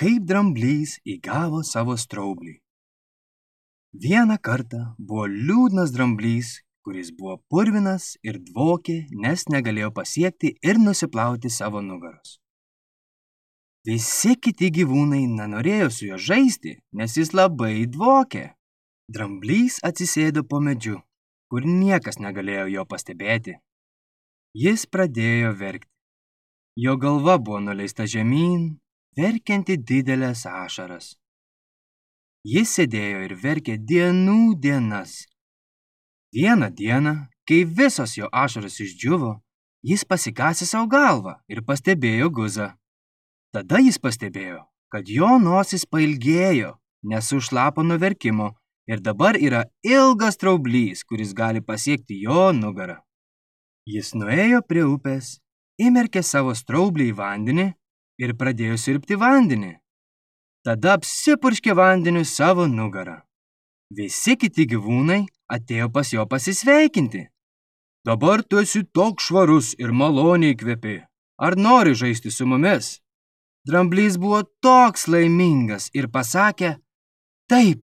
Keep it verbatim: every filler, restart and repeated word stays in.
Kaip dramblys įgavo savo straublį. Vieną kartą buvo liūdnas dramblys, kuris buvo purvinas ir dvokė, nes negalėjo pasiekti ir nusiplauti savo nugaros. Visi kiti gyvūnai nenorėjo su juo žaisti, nes jis labai dvokė. Dramblys atsisėdo po medžiu, kur niekas negalėjo jo pastebėti. Jis pradėjo verkti. Jo galva buvo nuleista žemyn, verkianti didelės ašaras. Jis sėdėjo ir verkė dienų dienas. Vieną dieną, kai visos jo ašaros išdžiuvo, jis pasikasė savo galvą ir pastebėjo guzą. Tada jis pastebėjo, kad jo nosis pailgėjo, nes sušlapo nuo verkimo ir dabar yra ilgas straublys, kuris gali pasiekti jo nugarą. Jis nuėjo prie upės, įmerkė savo straublį į vandenį ir pradėjo siurbti vandenį. Tada apsipurškė vandeniu savo nugarą. Visi kiti gyvūnai atėjo pas jo pasisveikinti. Dabar tu esi toks švarus ir maloniai kvepi. Ar nori žaisti su mumis? Dramblys buvo toks laimingas ir pasakė, taip,